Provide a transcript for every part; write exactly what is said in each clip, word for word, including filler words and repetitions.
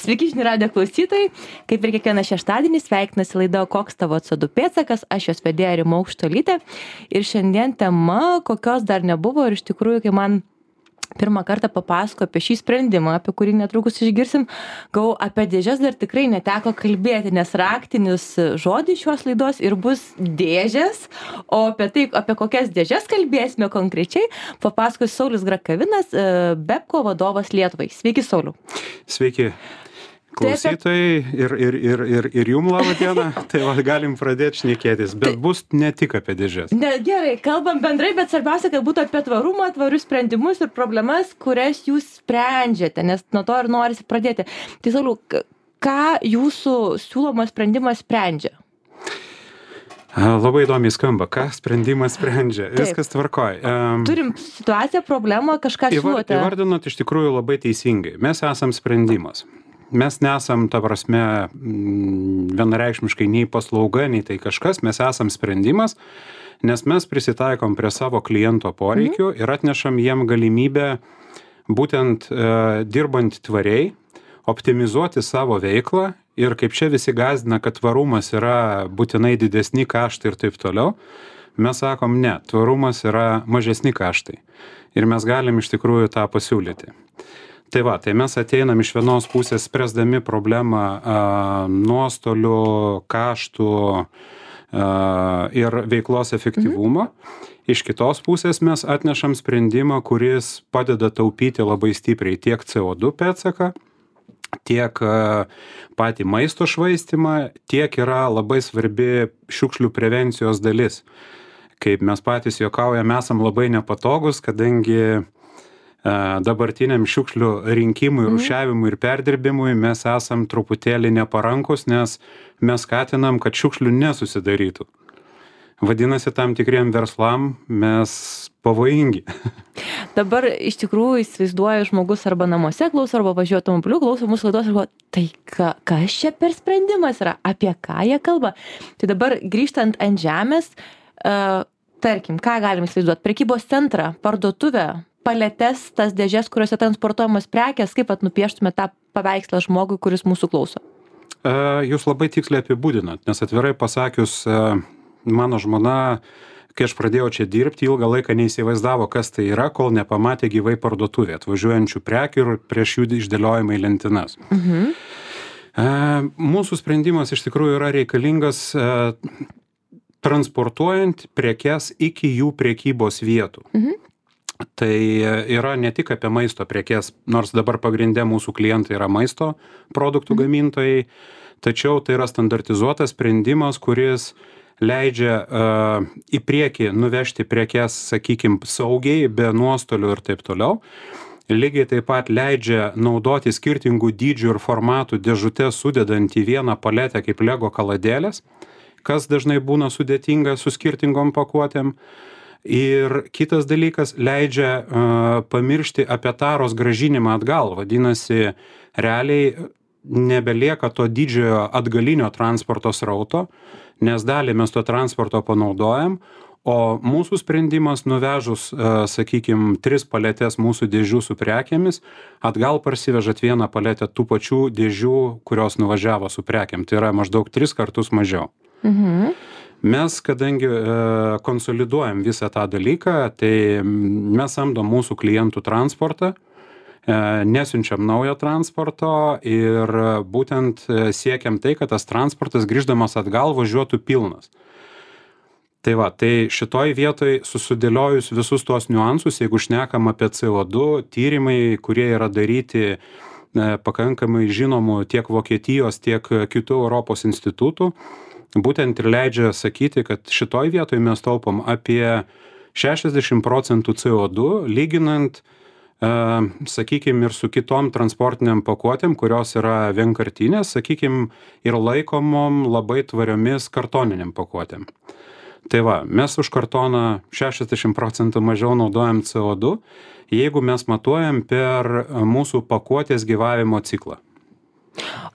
Sveiki, žinių radijo klausytojai. Kaip ir kiekvieną šeštadienį sveikinasi laida Koks tavo C O du pėdsakas, aš jos vedėja Rima Aukštuolytė. Ir šiandien tema, kokios dar nebuvo ir iš tikrųjų, kai man pirmą kartą papasako apie šį sprendimą, apie kurį netrukus išgirsim, gau apie dėžes dar tikrai neteko kalbėti, nes raktinis žodis šios laidos ir bus dėžės, o apie tai, apie kokias dėžes kalbėsime konkrečiai, papasakos Saulius Grakavinas, Bepco vadovas Lietuvai. Sveiki, Sauliau. Sveiki. Klausytojai ir, ir, ir, ir, ir jum labą dieną, tai va, galim pradėti šnekėtis, bet tai, bus ne tik apie dėžes. Ne, gerai, kalbam bendrai, bet svarbiausia, kad būtų apie tvarumą, tvarius sprendimus ir problemas, kurias jūs sprendžiate, nes nuo to ir norisi pradėti. Tai Sauliau, ką jūsų siūlomas sprendimas sprendžia? Labai įdomiai skamba, ką sprendimas sprendžia. Taip. Viskas tvarkoj. Um, Turim situaciją, problemą, kažką siūlote. Įvardinot iš tikrųjų labai teisingai. Mes esam sprendimas. Mes nesam, ta prasme, vienareikšmiškai nei paslauga, nei tai kažkas, mes esam sprendimas, nes mes prisitaikom prie savo kliento poreikių mhm. ir atnešam jiem galimybę būtent e, dirbant tvariai, optimizuoti savo veiklą ir kaip čia visi gąsdina, kad tvarumas yra būtinai didesni kaštai ir taip toliau, mes sakom ne, tvarumas yra mažesni kaštai ir mes galim iš tikrųjų tą pasiūlyti. Tai va, tai mes ateinam iš vienos pusės spręsdami problemą a, nuostolių, kaštų a, ir veiklos efektyvumo. Mhm. Iš kitos pusės mes atnešam sprendimą, kuris padeda taupyti labai stipriai tiek C O du pėdsaką, tiek a, patį maisto švaistimą, tiek yra labai svarbi šiukšlių prevencijos dalis. Kaip mes patys juokaujam, esam labai nepatogus, kadangi dabartiniam šiukšlių rinkimui, rūšiavimui ir perdirbimui mes esam truputėlį neparankus, nes mes skatinam, kad šiukšlių nesusidarytų. Vadinasi, tam tikriem verslam mes pavojingi. Dabar iš tikrųjų įsivaizduoju žmogus arba namuose klauso, arba važiuoja automobiliu, klauso mūsų laidos ir galvoja, tai ka, kas čia per sprendimas yra, apie ką jie kalba. Tai dabar grįžtant ant žemės, uh, tarkim, ką galim įsivaizduoti, prekybos centrą, parduotuvę, paletes, tas dėžes, kuriuose transportuojamos prekės, kaip pat nupieštume tą paveikslą žmogui, kuris mūsų klauso? Jūs labai tiksliai apibūdinat, nes atvirai pasakius, mano žmona, kai aš pradėjau čia dirbti, ilgą laiką neįsivaizdavo, kas tai yra, kol nepamatė gyvai parduotuvė, atvažiuojančių prekių ir prieš jų išdėliojimą į lentynas. Mhm. Mūsų sprendimas iš tikrųjų yra reikalingas transportuojant prekes iki jų prekybos vietų. Mhm. Tai yra ne tik apie maisto prekes, nors dabar pagrindė mūsų klientai yra maisto produktų gamintojai, tačiau tai yra standartizuotas sprendimas, kuris leidžia uh, į priekį nuvežti prekes, sakykim, saugiai, be nuostolių ir taip toliau. Lygiai taip pat leidžia naudoti skirtingų dydžių ir formatų dėžutes sudedant į vieną paletę kaip Lego kaladėlės, kas dažnai būna sudėtinga su skirtingom pakuotėm. Ir kitas dalykas leidžia uh, pamiršti apie taros grąžinimą atgal. Vadinasi, realiai nebelieka to didžiojo atgalinio transporto srauto, nes dalį mes to transporto panaudojam, o mūsų sprendimas nuvežus, uh, sakykim, tris paletės mūsų dėžių su prekėmis, atgal parsivežat vieną paletę tų pačių dėžių, kurios nuvažiavo su prekėm. Tai yra maždaug tris kartus mažiau. Mhm. Mes, kadangi e, konsoliduojam visą tą dalyką, tai mes samdom mūsų klientų transportą, e, nesiunčiam naujo transporto ir būtent siekiam tai, kad tas transportas grįždamas atgal važiuotų pilnas. Tai va, tai šitoj vietoj susidėliojus visus tuos niuansus, jeigu šnekam apie C O du, tyrimai, kurie yra daryti e, pakankamai žinomų tiek Vokietijos, tiek kitų Europos institutų, būtent ir leidžia sakyti, kad šitoj vietoj mes taupom apie šešiasdešimt procentų C O du, lyginant, uh, sakykim, ir su kitom transportiniam pakuotėm, kurios yra vienkartinės, sakykim, ir laikomom labai tvariomis kartoniniam pakuotėm. Tai va, mes už kartoną šešiasdešimt procentų mažiau naudojam C O du, jeigu mes matuojam per mūsų pakuotės gyvavimo ciklą.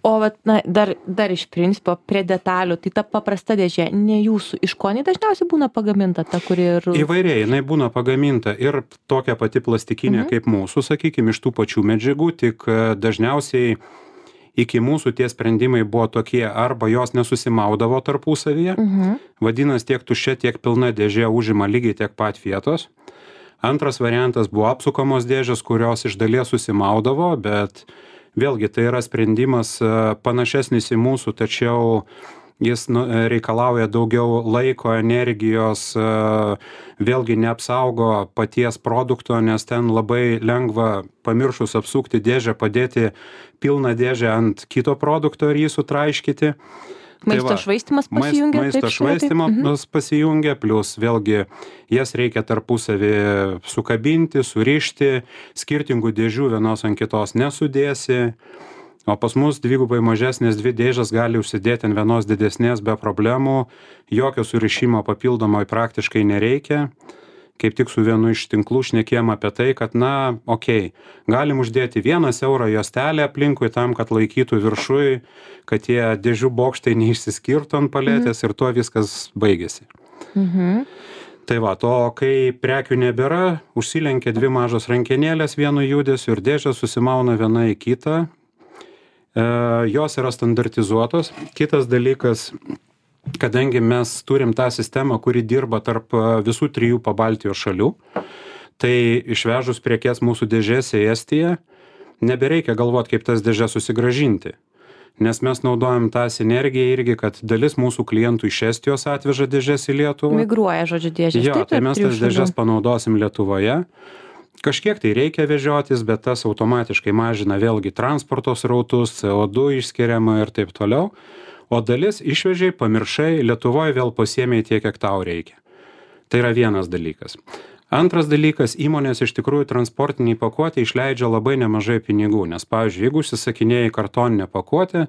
O vat, na, dar, dar iš principo prie detalių, tai ta paprasta dėžė, ne jūsų, iš ko jinai dažniausiai būna pagaminta, ta, kuri ir... Įvairiai, jinai būna pagaminta ir tokia pati plastikinė mhm. kaip mūsų, sakykime, iš tų pačių medžiagų, tik dažniausiai iki mūsų tie sprendimai buvo tokie, arba jos nesusimaudavo tarpusavyje, Mhm. vadinasi, tiek tuščia, tiek pilna dėžė užima lygiai tiek pat vietos. Antras variantas buvo apsukamos dėžės, kurios iš dalies susimaudavo, bet vėlgi tai yra sprendimas e, panašesnis į mūsų, tačiau jis nu, e, reikalauja daugiau laiko, energijos, e, vėlgi neapsaugo paties produkto, nes ten labai lengva pamiršus apsukti dėžę, padėti pilną dėžę ant kito produkto ir jį sutraiškyti. Maisto Tai va, švaistymas Maist, pasijungia. maisto taip, šalia, taip? švaistymas Mhm. pasijungia, plus vėlgi jas reikia tarpusavį sukabinti, surišti, skirtingų dėžių vienos ant kitos nesudėsi, o pas mus dvigubai mažesnės dvi dėžės gali užsidėti ant vienos didesnės be problemų, jokio surišimo papildomai praktiškai nereikia. Kaip tik su vienu iš tinklų šnekėjom apie tai, kad na, okei, okay, galim uždėti vieną siaurą juostelę aplinkui tam, kad laikytų viršui, kad tie dėžių bokštai neišsiskirtų ant paletės ir tuo viskas baigėsi. Mhm. Tai va, to, kai prekių nebėra, užsilenkia dvi mažos rankenėlės vienu judesiu ir dėžės susimauna viena į kitą. E, jos yra standartizuotos. Kitas dalykas, kadangi mes turim tą sistemą, kuri dirba tarp visų trijų Pabaltijos šalių, tai išvežus prekes mūsų dėžėse į Estiją, nebereikia galvoti, kaip tas dėžės susigrąžinti. Nes mes naudojam tą sinergiją irgi, kad dalis mūsų klientų iš Estijos atveža dėžės į Lietuvą. Migruoja, žodžiu, dėžės. Jo, taip, tai tarp mes trijų tas šalių. dėžės panaudosim Lietuvoje. Kažkiek tai reikia vežiotis, bet tas automatiškai mažina vėlgi transporto srautus, C O du išskiriama ir taip toliau. O dalis išvežiai, pamiršai, Lietuvoje vėl pasiėmė tiek, kiek tau reikia. Tai yra vienas dalykas. Antras dalykas, įmonės iš tikrųjų transportiniai pakuotė išleidžia labai nemažai pinigų, nes, pavyzdžiui, jeigu užsisakinėjai kartoninę pakuotę,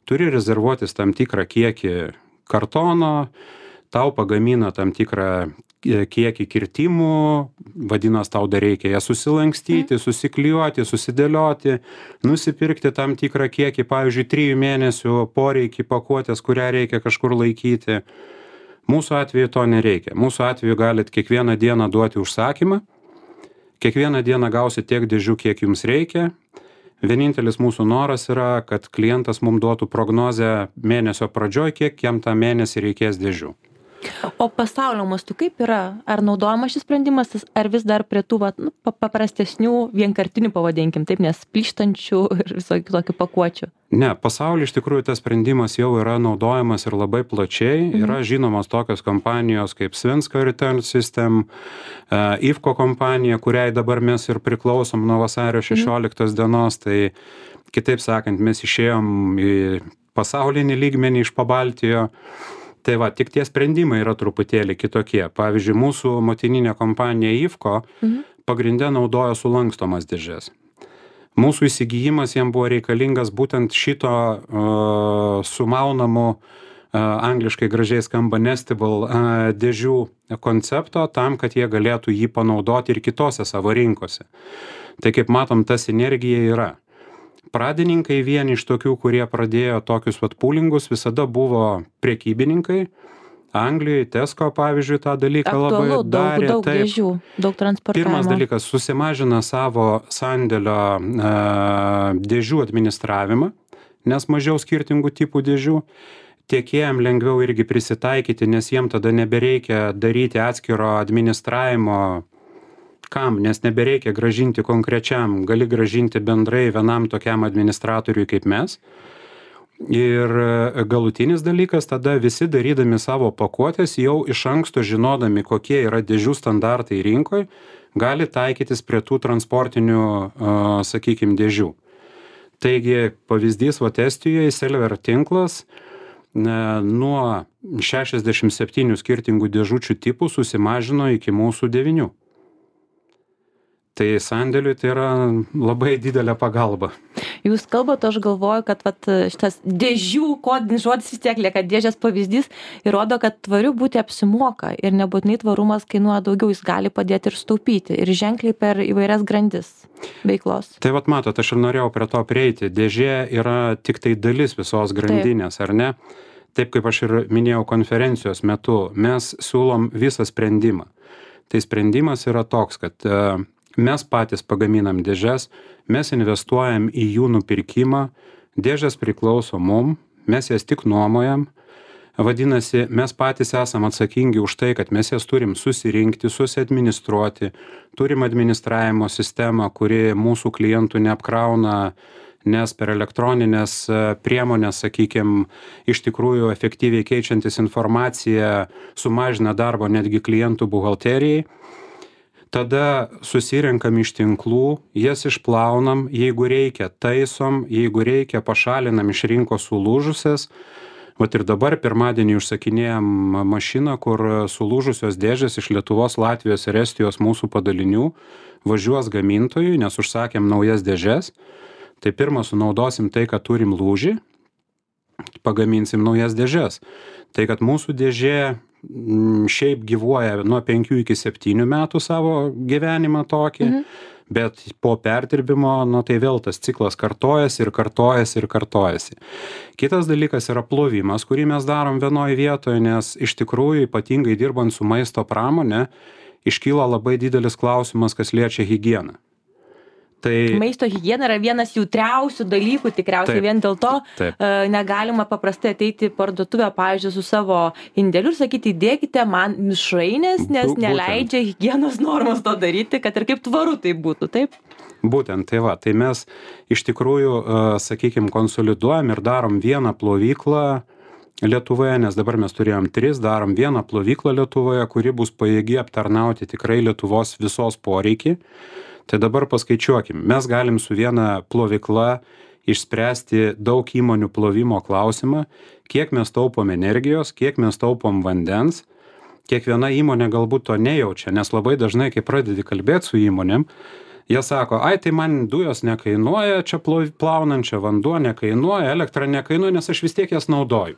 turi rezervuotis tam tikrą kiekį kartono, tau pagamina tam tikrą kiekį kirtimų, vadinasi, tau dar reikia ją susilankstyti, susiklijuoti, susidėlioti, nusipirkti tam tikrą kiekį, pavyzdžiui, trijų mėnesių poreikį pakuotės, kurią reikia kažkur laikyti. Mūsų atveju to nereikia. Mūsų atveju galit kiekvieną dieną duoti užsakymą, kiekvieną dieną gausit tiek dėžių, kiek jums reikia. Vienintelis mūsų noras yra, kad klientas mums duotų prognozę mėnesio pradžioj, kiek jam tą mėnesį reikės dėžių. O pasaulio mastu kaip yra? Ar naudojamas šis sprendimas, ar vis dar prie tų vat, nu, paprastesnių, vienkartinių, pavadinkim taip, nes plyštančių ir visokių tokių pakuočių? Ne, pasaulyje iš tikrųjų tas sprendimas jau yra naudojamas ir labai plačiai. Mhm. Yra žinomos tokios kompanijos kaip Svenska Return System, uh, Ifko kompanija, kuriai dabar mes ir priklausom nuo vasario šešioliktos dienos. Tai kitaip sakant, mes išėjom į pasaulinį lygmenį iš Pabaltijo. Tai va, tik tie sprendimai yra truputėlį kitokie. Pavyzdžiui, mūsų motininė kompanija Ifko mhm. pagrinde naudoja sulankstomas dėžės. Mūsų įsigijimas jam buvo reikalingas būtent šito uh, sumaunamų, uh, angliškai gražiai skamba nestable uh, dėžių koncepto, tam, kad jie galėtų jį panaudoti ir kitose savo rinkose. Tai kaip matom, ta sinergija yra. Pradininkai vieni iš tokių, kurie pradėjo tokius vat pūlingus, visada buvo prekybininkai. Anglijoje, Tesco, pavyzdžiui, tą dalyką Aktualu, labai darė. daug, daug Taip. dėžių, daug transportavimo. Pirmas dalykas, susimažina savo sandėlio e, dėžių administravimą, nes mažiau skirtingų tipų dėžių. Tiekėjam lengviau irgi prisitaikyti, nes jiem tada nebereikia daryti atskiro administravimo. Kam? Nes nebereikia gražinti konkrečiam, gali gražinti bendrai vienam tokiam administratoriui kaip mes. Ir galutinis dalykas, tada visi darydami savo pakuotės, jau iš anksto žinodami, kokie yra dėžių standartai rinkoje, gali taikytis prie tų transportinių, sakykime, dėžių. Taigi, pavyzdys, va, Estijoje Selver tinklas nuo šešiasdešimt septynių skirtingų dėžučių tipų susimažino iki mūsų devynių. Tai sandėliui tai yra labai didelė pagalba. Jūs kalbate, aš galvoju, kad vat, šitas dėžių kodinis žodis vis tiek lieka dėžės pavyzdys ir rodo, kad tvariu būti apsimoka ir nebūtinai tvarumas kainuoja daugiau, jis gali padėti ir staupyti ir ženkliai per įvairias grandis veiklos. Tai vat matot, aš ir norėjau prie to prieiti. Dėžė yra tik tai dalis visos grandinės, Taip. Ar ne? Taip kaip aš ir minėjau konferencijos metu, mes siūlom visą sprendimą. Tai sprendimas yra toks, kad mes patys pagaminam dėžes, mes investuojam į jų nupirkimą, dėžės priklauso mum, mes jas tik nuomojam. Vadinasi, mes patys esam atsakingi už tai, kad mes jas turim susirinkti, susiadministruoti, turim administravimo sistemą, kuri mūsų klientų neapkrauna, nes per elektroninės priemonės, sakykime, iš tikrųjų efektyviai keičiantis informaciją sumažina darbo netgi klientų buhalterijai. Tada susirenkam iš tinklų, jas išplaunam, jeigu reikia taisom, jeigu reikia pašalinam iš rinkos sulūžusias. Vat ir dabar pirmadienį užsakinėjom mašiną, kur sulūžusios dėžės iš Lietuvos, Latvijos ir Estijos mūsų padalinių važiuos gamintojui, nes užsakėm naujas dėžes. Tai pirmą sunaudosim tai, kad turim lūžį, pagaminsim naujas dėžes. Tai, kad mūsų dėžė šiaip gyvuoja nuo penkių iki septynių metų savo gyvenimą tokį, mhm. bet po perdirbimo, nu tai vėl tas ciklas kartojasi ir kartojasi ir kartojasi. Kitas dalykas yra plovimas, kurį mes darom vienoje vietoje, nes iš tikrųjų ypatingai dirbant su maisto pramonė, iškyla labai didelis klausimas, kas liečia higieną. Tai... Maisto higiena yra vienas jautriausių dalykų, tikriausiai taip, vien dėl to taip. Negalima paprastai ateiti į parduotuvę, pavyzdžiui, su savo indėliu ir sakyti, įdėkite man mišrainės, nes būtent. Neleidžia higienos normos to daryti, kad ir kaip tvaru tai būtų, taip? Būtent, tai va, tai mes iš tikrųjų, sakykime, konsoliduojam ir darom vieną plovyklą Lietuvoje, nes dabar mes turėjom tris, darom vieną plovyklą Lietuvoje, kuri bus pajėgi aptarnauti tikrai Lietuvos visos poreikį. Tai dabar paskaičiuokim, mes galim su viena plovykla išspręsti daug įmonių plovimo klausimą, kiek mes taupom energijos, kiek mes taupom vandens. Kiekviena įmonė galbūt to nejaučia, nes labai dažnai, kai pradedi kalbėti su įmonėm, jie sako, ai tai man dujos nekainuoja, čia plaunant, čia vanduo nekainuoja, elektra nekainuoja, nes aš vis tiek jas naudoju.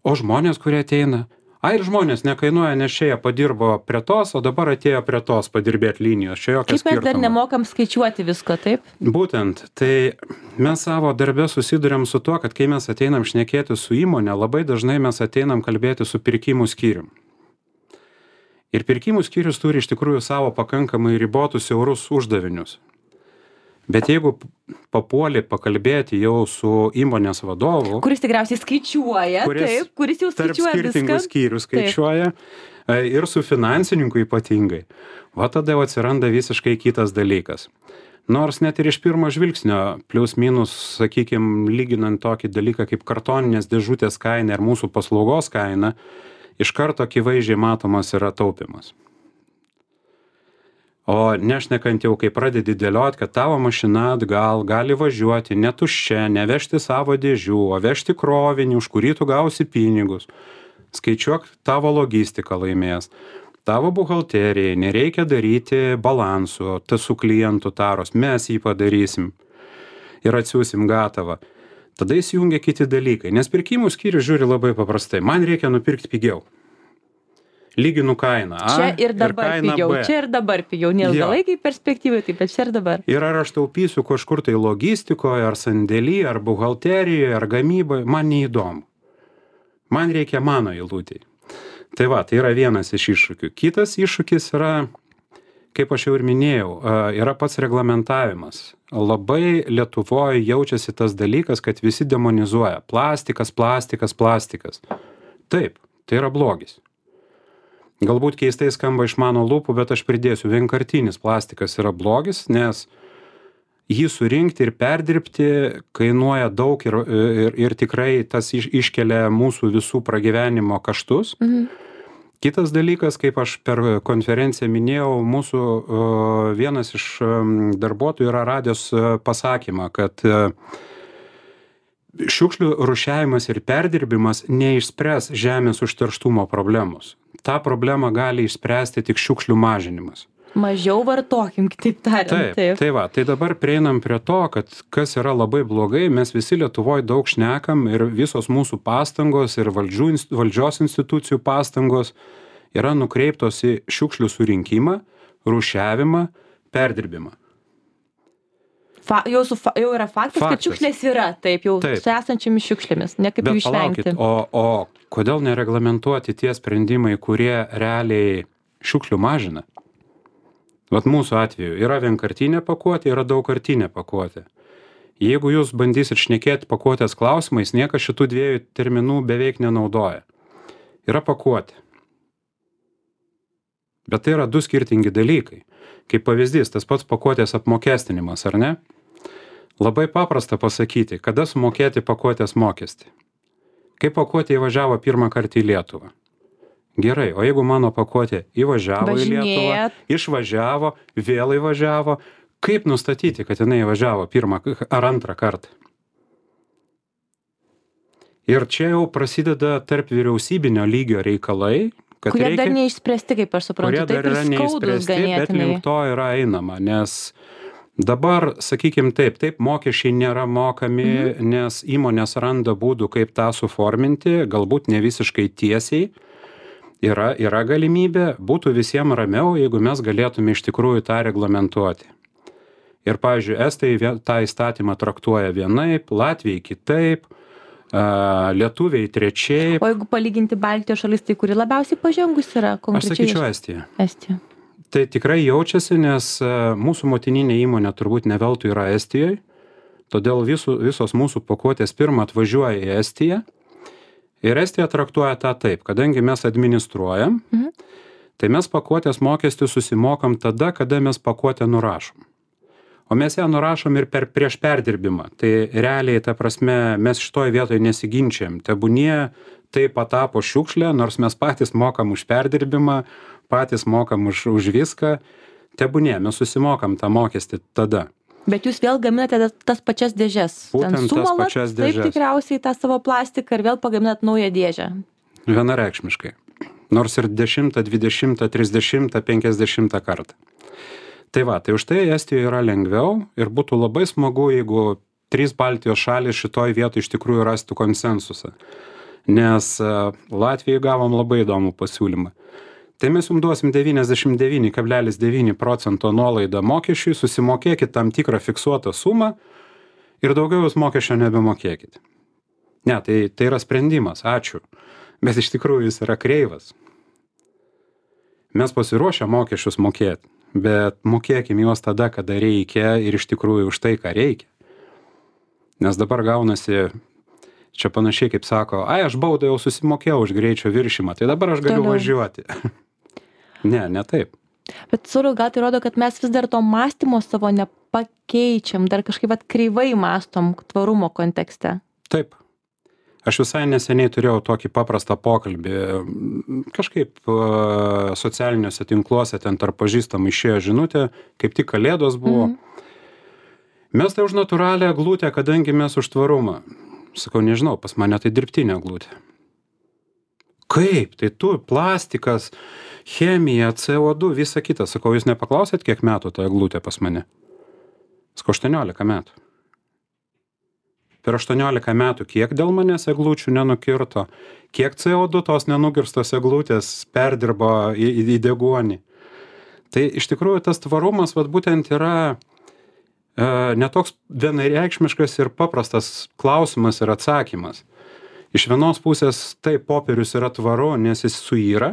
O žmonės, kurie ateina, ai ir žmonės nekainuoja, nes čia jie padirbo prie tos, o dabar atėjo prie tos padirbėti linijos. Čia jokia skirtumo. Kaip mes dar nemokam skaičiuoti visko, taip? Būtent, tai mes savo darbe susiduriam su tuo, kad kai mes ateinam šnekėti su įmonė, labai dažnai mes ateinam kalbėti su pirkimų skyrium. Ir pirkimų skyrius turi iš tikrųjų savo pakankamai ribotus siaurus uždavinius. Bet jeigu papuoli pakalbėti jau su įmonės vadovu, kuris tikriausiai skaičiuoja, kuris, taip, kuris jau skaičiuoja tarp skirtingų viską. Skyrių skaičiuoja, taip. Ir su finansininku ypatingai, va tada jau atsiranda visiškai kitas dalykas. Nors net ir iš pirmo žvilgsnio, plius minus, sakykime, lyginant tokį dalyką kaip kartoninės dėžutės kaina ir mūsų paslaugos kaina, iš karto akivaizdžiai matomas yra taupimas. O nešnekant jau, kai pradedi dėlioti, kad tavo mašina atgal gali važiuoti ne tuščia, nevežti savo dėžių, o vežti krovinį, už kurį tu gausi pinigus. Skaičiuok, tavo logistika laimės. Tavo buhalterijai nereikia daryti balansų, tas su klientų taros, mes jį padarysim ir atsiūsim gatavą. Tada įsijungia kiti dalykai, nes pirkimų skyrius žiūri labai paprastai. Man reikia nupirkti pigiau. Lyginu kainą A čia ir dabar ir pigiau, B. Čia ir dabar pigiau, neilgalaikiai perspektyvai, taip pat čia ir dabar. Ir ar aš taupysiu kažkur tai logistikoje, ar sandėly, ar buhalterijoje, ar gamyboje, man neįdomu. Man reikia mano eilutėj. Tai va, tai yra vienas iš iššūkių. Kitas iššūkis yra, kaip aš jau ir minėjau, yra pats reglamentavimas. Labai Lietuvoje jaučiasi tas dalykas, kad visi demonizuoja. Plastikas, plastikas, plastikas. Taip, tai yra blogis. Galbūt keistai skamba iš mano lūpų, bet aš pridėsiu, vienkartinis plastikas yra blogis, nes jį surinkti ir perdirbti kainuoja daug ir, ir, ir tikrai tas iš, iškelia mūsų visų pragyvenimo kaštus. Mhm. Kitas dalykas, kaip aš per konferenciją minėjau, mūsų uh, vienas iš um, darbuotojų yra radęs uh, pasakymą, kad uh, šiukšlių rūšiavimas ir perdirbimas neišspręs žemės užterštumo problemos. Ta problema gali išspręsti tik šiukšlių mažinimas. Mažiau vartokim, kitaip tariant. Taip, taip. Tai va, tai dabar prieinam prie to, kad kas yra labai blogai, mes visi Lietuvoje daug šnekam ir visos mūsų pastangos ir valdžių, valdžios institucijų pastangos yra nukreiptos į šiukšlių surinkimą, rūšiavimą, perdirbimą. Fa, jau, su, jau yra faktas, faktas, kad šiukšlės yra, taip, jau taip. Su esančiamis šiukšlėmis, ne kaip jų išvengti. Bet palaukit, o, o kodėl nereglamentuoti tie sprendimai, kurie realiai šiukšlių mažina? Vat mūsų atveju yra vienkartinė pakuotė, yra daugkartinė pakuotė. Jeigu jūs bandysit šnekėti pakuotės klausimais, niekas šitų dviejų terminų beveik nenaudoja. Yra pakuotė. Bet tai yra du skirtingi dalykai. Kaip pavyzdys, tas pats pakuotės apmokestinimas, ar ne? Labai paprasta pasakyti, kada sumokėti pakuotės mokestį. Kai pakuotė įvažiavo pirmą kartą į Lietuvą. Gerai, o jeigu mano pakuotė įvažiavo į Lietuvą, išvažiavo, vėl įvažiavo, kaip nustatyti, kad jinai įvažiavo pirmą ar antrą kartą? Ir čia jau prasideda tarp vyriausybinio lygio reikalai, kad kurie reikia, dar neišspręsti, kaip aš suprantu, kurie dar yra neišspręsti, bet link to yra einama, nes dabar, sakykim taip, taip mokesčiai nėra mokami, mhm. nes įmonės randa būdų, kaip tą suforminti, galbūt ne visiškai tiesiai. Yra, yra galimybė, būtų visiems ramiau, jeigu mes galėtume iš tikrųjų tą reglamentuoti. Ir, pavyzdžiui, Estai tą įstatymą traktuoja vienaip, Latvijai kitaip, a, lietuviai trečiaip. O jeigu palyginti Baltijos šalis, tai kuri labiausiai pažengus yra konkrečiai? Aš sakyčiau Estija. Estija. Tai tikrai jaučiasi, nes mūsų motininė įmonė turbūt ne veltui yra Estijoje, todėl visų, visos mūsų pakuotės pirmą atvažiuoja į Estiją. Ir Estija traktuoja tą taip, kadangi mes administruojam, mhm. tai mes pakuotės mokestį susimokam tada, kada mes pakuotę nurašom. O mes ją nurašom ir per, prieš perdirbimą. Tai realiai, ta prasme, mes šitoj vietoje nesiginčiam. Tebūnie tai patapo šiukšlė, nors mes patys mokam už perdirbimą, patys mokam už, už viską. Tebūnie, mes susimokam tą mokestį tada. Bet jūs vėl gaminate tas pačias dėžes. Būtent tas pačias dėžes. Taip tikriausiai tą savo plastiką ir vėl pagaminat naują dėžę. Vienareikšmiškai. Nors ir dešimtą, dvidešimtą, trisdešimtą, penkiasdešimtą kartą. Tai va, tai už tai Estijoje yra lengviau ir būtų labai smagu, jeigu trys Baltijos šalys šitoj vietoj iš tikrųjų rastų konsensusą. Nes Latvijai gavom labai įdomų pasiūlymą. Tai mes jums duosim devyniasdešimt devyni kablelis devyni procento nuolaidą mokesčiui, susimokėkit tam tikrą fiksuotą sumą ir daugiau jūs mokesčio nebemokėkit. Ne, tai, tai yra sprendimas, ačiū. Bet iš tikrųjų jis yra kreivas. Mes pasiruošę mokesčius mokėti, bet mokėkim juos tada, kada reikia ir iš tikrųjų už tai, ką reikia. Nes dabar gaunasi, čia panašiai kaip sako, ai, aš baudą jau susimokėjau už greičio viršimą, tai dabar aš galiu Toliau. važiuoti. Ne, ne taip. Bet, Sauliau, gal tai rodo, kad mes vis dar to mąstymo savo nepakeičiam, dar kažkaip at kreivai mąstom tvarumo kontekste. Taip. Aš visai neseniai turėjau tokį paprastą pokalbį. Kažkaip uh, socialiniuose tinkluose ten tarp pažįstamų išėjo žinutė, kaip tik kalėdos buvo. Mm. Mes tai už natūralią eglutę, kadangi mes už tvarumą. Sakau, nežinau, pas mane tai dirbtinė eglutė. Kaip? Tai tu, plastikas, chemija, C O du, visa kita. Sakau, jūs nepaklausėt, kiek metų ta eglutė pas mane? Sakau, aštuoniolika metų. Per aštuoniolika metų kiek dėl manęs eglučių nenukirto, kiek C O du tos nenukirstos eglutės perdirbo į, į, į deguonį. Tai iš tikrųjų tas tvarumas vat, būtent yra e, netoks vienareikšmiškas ir paprastas klausimas ir atsakymas. Iš vienos pusės taip popierius yra tvaru, nes jis suyra,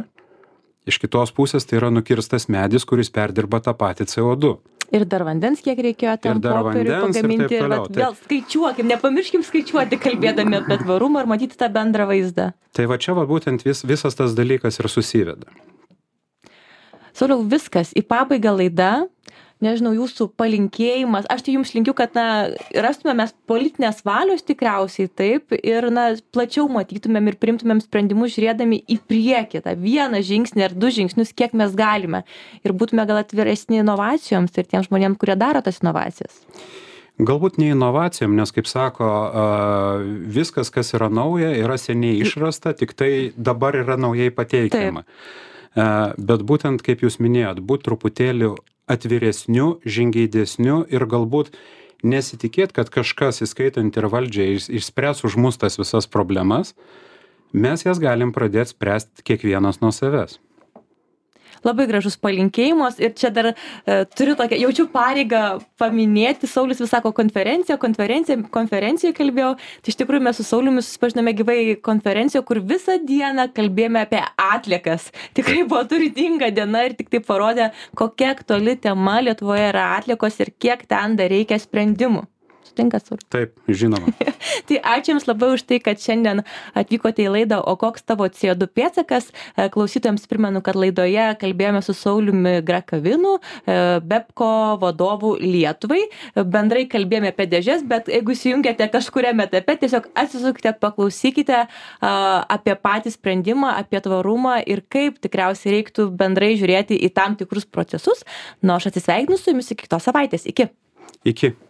iš kitos pusės tai yra nukirstas medis, kuris perdirba tą patį C O du. Ir dar vandens, kiek reikėjo tam popieriui pagaminti. Ir, ir vat, vėl skaičiuokim, nepamirškim skaičiuoti, kalbėdami apie tvarumą ir matyti tą bendrą vaizdą. Tai va čia va būtent vis, visas tas dalykas ir susiveda. Sauliau, viskas, į pabaigą laida. Nežinau, jūsų palinkėjimas. Aš tai jums linkiu, kad na, rastume mes politinės valios tikriausiai taip ir na, plačiau matytumėm ir priimtumėm sprendimus žiūrėdami į priekį, tą vieną žingsnį ar du žingsnius, kiek mes galime. Ir būtume gal atviresni inovacijoms ir tiems žmonėms, kurie daro tas inovacijas. Galbūt ne inovacijom, nes, kaip sako, viskas, kas yra nauja, yra seniai išrasta, tik tai dabar yra naujai pateikiama. Taip. Bet būtent, kaip jūs minėjot, būt truputėlį atviresniu, žingeidesniu ir galbūt nesitikėt, kad kažkas, įskaitant ir valdžią, išspręs už mus tas visas problemas, mes jas galim pradėti spręsti kiekvienas nuo savęs. Labai gražus palinkėjimas ir čia dar e, turiu tokią, jaučiu pareigą paminėti, Saulius vis sako konferencija, konferencija, konferencijoje kalbėjau, tai iš tikrųjų mes su Sauliumi susipažinome gyvai konferencijoje, kur visą dieną kalbėjome apie atliekas. Tikrai buvo turtinga diena ir tik tai parodė, kokia aktuali tema Lietuvoje yra atliekos ir kiek ten dar reikia sprendimų. sutinkat, Sauliau? Taip, žinoma. Tai ačiū Jums labai už tai, kad šiandien atvykote į laidą O koks tavo C O du pėdsakas. Klausytojams primenu, kad laidoje kalbėjome su Sauliumi Grakavinu, Bepco vadovu Lietuvai. Bendrai kalbėjome apie dėžes, bet jeigu įsijungėte kažkuriame etape, tiesiog atsisukite, paklausykite apie patį sprendimą, apie tvarumą ir kaip tikriausiai reiktų bendrai žiūrėti į tam tikrus procesus. Nu, aš atsisveikinu su Jumis iki kitos savaitės. Iki. Iki.